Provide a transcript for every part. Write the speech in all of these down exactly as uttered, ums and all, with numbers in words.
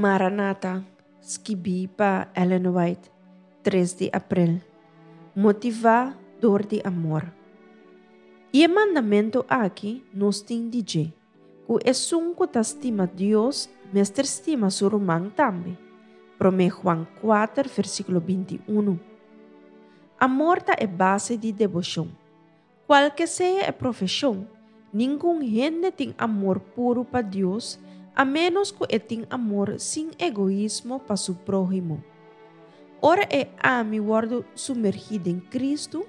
Maranata, skibí pa Ellen White, tres di aprel. Motivá dor di amor. I e mandamentu aki nos tin di dje, ku esun ku ta stima Dios mester stima su ruman tambe. Promé Juan kuater, versíkulo binti unu. Amor ta e base di deboshon. Kualke sea e profeshon, ningun hende tin amor puru pa Dios, a ménos ku e tin amor sin egoismo pa su próhimo. Ora e ami wòrdu sumergí den Kristu,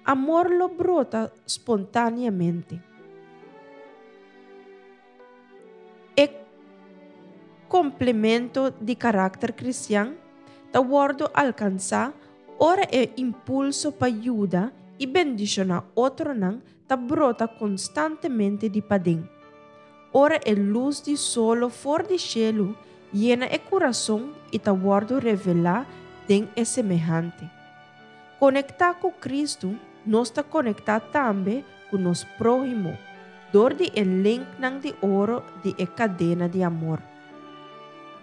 amor lo brota spontáneamente. E komplemento di karakter kristian ta wòrdu alkansá ora e impulso pa yuda i bendishoná otronan ta brota konstantemente di paden. Ora e lus di solo for di shelu yena e kurason i ta wòrdu revelá den e semehante. Konektá ku Kristu, nos ta konektá tambe ku nos próhimo, dor di e linknan di oro di e kadena di amor.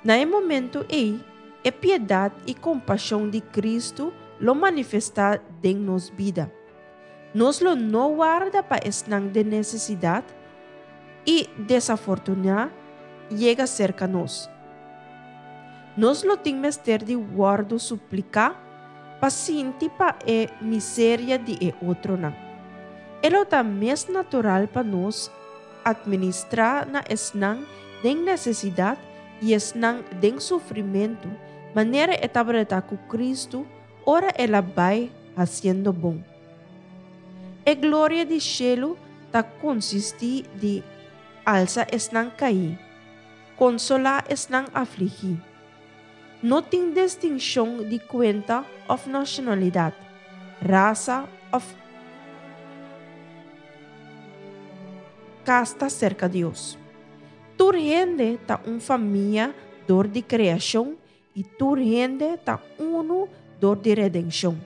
Na e momento ei, e piedat i kompashon di Kristu lo manifestá den nos bida. Nos lo no warda pa esnan den nesesidat i desafortuná yega serka nos. Nos lo tin mester di wòrdu supliká pa sinti pa e miseria di e otronan. E lo ta mes natural pa nos atministrá na esnan den nesesidat i esnan den sufrimentu, manera e tabata ku Kristu ora el a bai hasiendo bon. E gloria di shelu ta konsistí di alsa esnan kaí, konsolá esnan afligí. No tin distinshon di kuenta òf nashonalidat, rasa òf kasta serka Dios. Tur hende ta un famia dor di kreashon i tur hende ta unu dor di redenshon.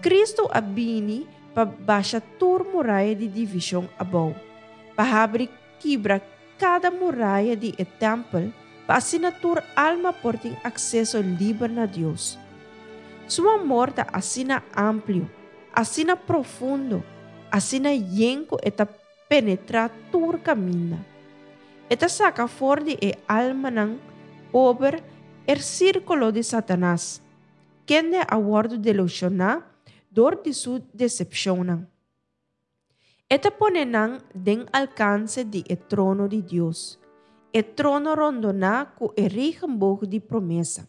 Kristu a bini pa basha tur muraya di divishon abou, pa habri kibra kada muraya di e tèmpel, pa asina tur alma por tin akseso liber na Dios. Su amor ta asina amplio, asina profundo, asina yen ku e ta penetrá tur kaminda. E ta saka for di e almanan pober e sírkulo di Satanas, kende a wòrdu delushoná dor di su desepshonnan. E ta pone nan den alkanse di e trono di Dios, e trono rondoná ku e regenboog di promesa.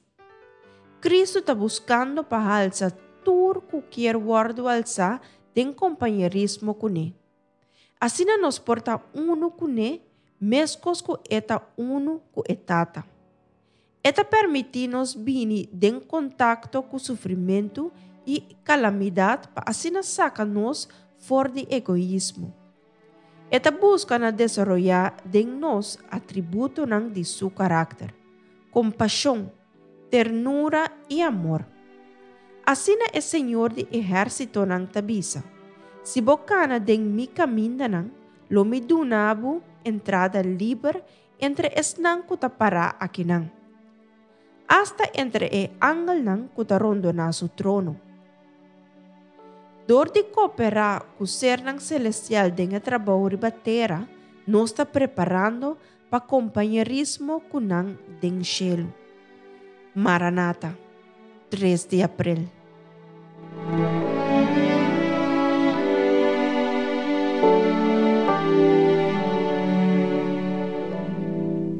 Kristu ta buskando pa halsa tur ku kier wòrdu alsá den kompañerismo kuné. Asina nos por ta unu kuné, meskos ku e ta unu ku e Tata. E ta permití nos bini den kontakto ku sufrimentu i kalamidat pa asina saka nos for di egoismo. E ta buska na desaroyá den nos atributonan di su karakter, kompashon, ternura i amor. Asina e Señor di ehérsitonan ta bisa, Si bo kana den mi kamindanan, lo mi duna bo entrada liber entre esnan ku ta pará akinan, asta entre e angelnan ku ta rondoná su trono. Dor di kooperá ku sernan selestial den e trabou riba tera, nos ta preparando pa kompañerismo ku nan den shelu. Maranata, tres di aprel.